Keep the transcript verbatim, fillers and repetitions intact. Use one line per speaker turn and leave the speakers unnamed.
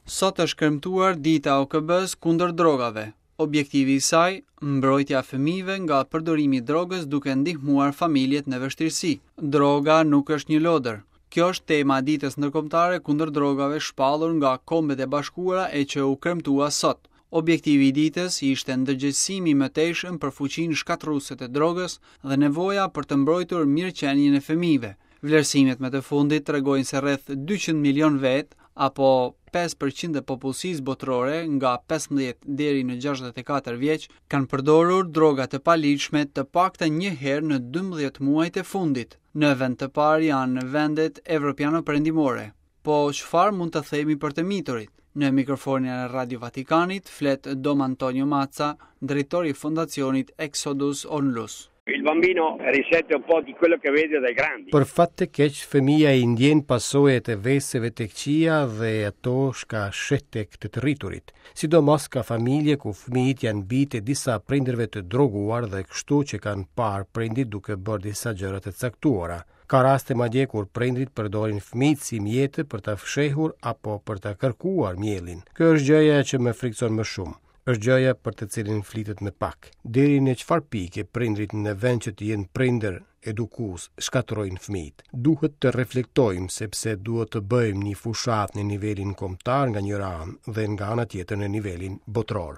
Sot është kremtuar dita e O K B-s kundër drogave. Objektivi i saj, mbrojtja e fëmijëve nga përdorimi i drogës, duke ndihmuar familjet në vështirësi. Droga nuk është një lodër. Kjo është tema e ditës ndërkombëtare kundër drogave, shpallur nga Kombet e Bashkuara e që u kremtua sot. Objektivi i ditës ishte ndërgjegjësimi i mëtejshëm për fuqinë shkatërruese të drogës dhe nevoja për të mbrojtur mirëqenien e fëmijëve. Vlerësimet më të fundit tregojnë se rreth dyqind milion vet, apo pesë për qind e popullsisë botërore nga pesëmbëdhjetë deri në gjashtëdhjetë e katër vjeç, kanë përdorur droga të paligjshme të paktën një herë në dymbëdhjetë muajt e fundit. Në vend të parë janë vendet evropiano-perëndimore. Po çfarë mund të themi për të miturit? Në mikrofonin e Radio Vatikanit flet Dom Antonio Mazza, drejtor i fondacionit Exodus Onlus.
Il bambino risente un po' di quello che vede dai grandi.
Për fat të keq, fëmija i ndjen pasojat e veseve të këqija dhe ato shka sheh tek të të rriturit. Sidomos ka familje ku fëmijët janë bijtë e disa prindërve të droguar dhe kështu që kanë parë prindit duke bërë disa gjëra të caktuara. Ka raste madje kur prindrit përdorin fëmijët si mjete për ta fshehur apo për ta kërkuar miellin. Kjo është gjëja që më frikson më shumë, është gjëja për të cilin flitet më pak. Deri në çfarë pike prindrit, në vend që të jenë prindër edukues, shkatërrojnë fëmijët? Duhet të reflektojmë, sepse duhet të bëjmë një fushatë në nivelin kombëtar nga njëra anë dhe nga ana tjetër në nivelin botëror.